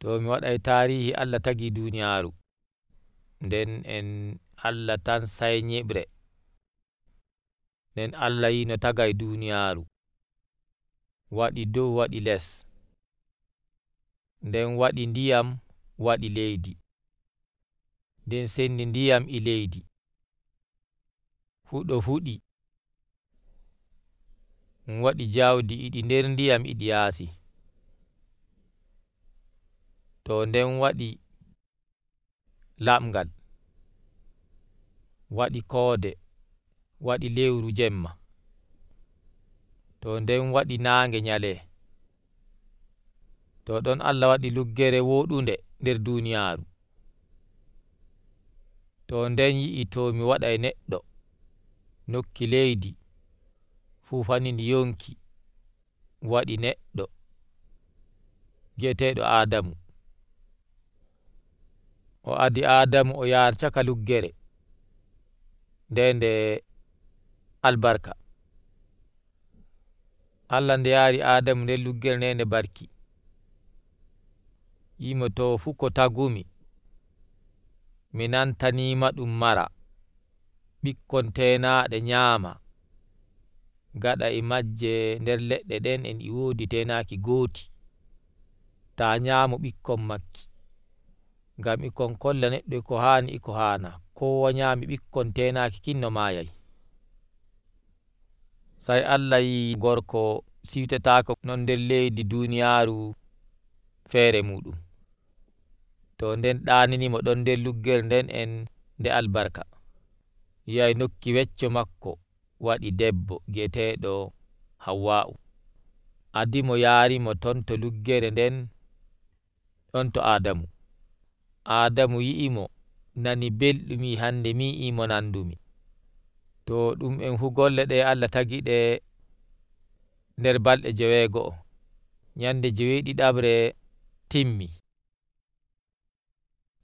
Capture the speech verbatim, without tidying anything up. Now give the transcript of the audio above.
To mi wadai tarihi Allah tagi duniyaru nden en Allah tan sai nyibre, nden Allah yi no tagai duniyaru, wadi dow wadi les, nden wadi ndiyam wadi leydi, nden sendi ndiyam e leydi hudo fudi, wadi jawdi e di nder ndiyam e di yasi, to nden wadi lamgal, wadi koode, wadi lewru jemma, to nden wadi nange nyale, to don Allah wadi luggere wodunde nder duniyaru, to nden yi'i to mi wadai neddo nokki leydi fu fani ndi yonki wadi neddo bi'etedo Adamu, o adi Adamu o yaha chaka luggere nde nde albarka, Allah nde yari Adamu nder luggere nde nde barki, yimo to fu ko tagumi mi nantani ma dum mara, bikkon tenade nyama, gada e majje nder ledde den e di wodi tenaki goti, ta nyamo bikkon makki, ngam e kon kolla neddo e ko hani e ko hana, kowa nyami bikkon tenaki kin no mayai. Sai Allah yi gorko siwtatako non nder leydi duniyaru fere mudum, to nden danini mo don nder luggere nden en nde albarka, yi'ai nokki wecco makko wadi debbo bi'etedo Hawwa'u, adi mo yari mo ton to luggere nden don to Adamu, Adamu yi'i mo nani beldum yi hande mi yi'i mo nandumi, to dum en fu golle de Allah tagi de nder balde jewego, nyande jewedidabre timmi.